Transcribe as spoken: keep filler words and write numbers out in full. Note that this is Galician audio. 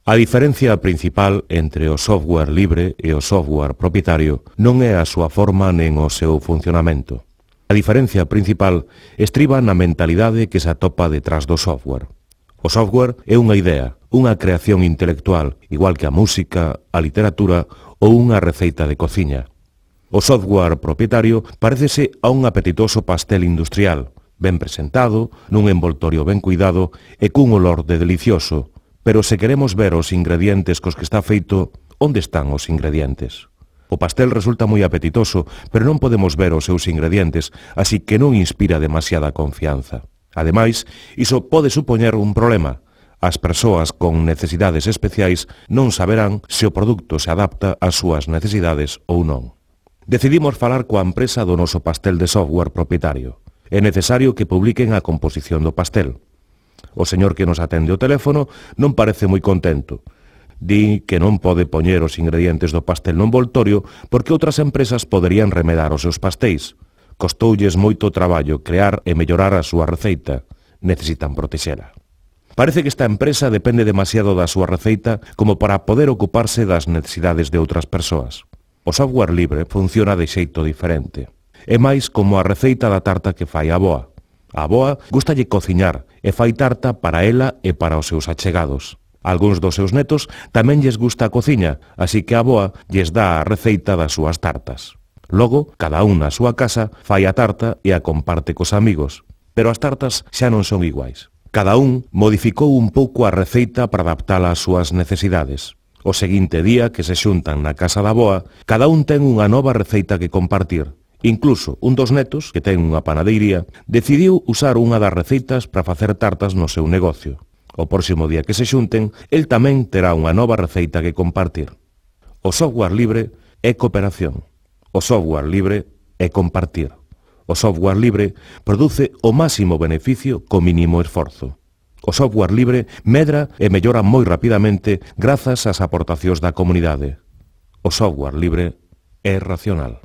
A diferencia principal entre o software libre e o software propietario non é a súa forma nen o seu funcionamento. A diferencia principal estriba na mentalidade que se atopa detrás do software. O software é unha idea, unha creación intelectual, igual que a música, a literatura ou unha receita de cociña. O software propietario parécese a un apetitoso pastel industrial, ben presentado, nun envoltorio ben cuidado e cun olor de delicioso, pero se queremos ver os ingredientes cos que está feito, onde están os ingredientes? O pastel resulta moi apetitoso, pero non podemos ver os seus ingredientes, así que non inspira demasiada confianza. Ademais, iso pode supoñer un problema. As persoas con necesidades especiais non saberán se o produto se adapta ás súas necesidades ou non. Decidimos falar coa empresa do noso pastel de software propietario. É necesario que publiquen a composición do pastel. O señor que nos atende o teléfono non parece moi contento. Di que non pode poñer os ingredientes do pastel no envoltorio porque outras empresas poderían remedar os seus pastéis. Costoulles moito traballo crear e mellorar a súa receita. Necesitan protexela. Parece que esta empresa depende demasiado da súa receita como para poder ocuparse das necesidades de outras persoas. O software libre funciona de xeito diferente. É máis como a receita da tarta que fai a avoa. A avoa gustalle cociñar e fai tarta para ela e para os seus achegados. Algúns dos seus netos tamén lles gusta a cociña, así que a avoa lles dá a receita das súas tartas. Logo, cada un na súa casa fai a tarta e a comparte cos amigos. Pero as tartas xa non son iguais. Cada un modificou un pouco a receita para adaptala ás súas necesidades. O seguinte día que se xuntan na casa da avoa, cada un ten unha nova receita que compartir. Incluso un dos netos, que ten unha panadeiría, decidiu usar unha das receitas para facer tartas no seu negocio. O próximo día que se xunten, el tamén terá unha nova receita que compartir. O software libre é cooperación. O software libre é compartir. O software libre produce o máximo beneficio co mínimo esforzo. O software libre medra e mellora moi rapidamente grazas ás aportacións da comunidade. O software libre é racional.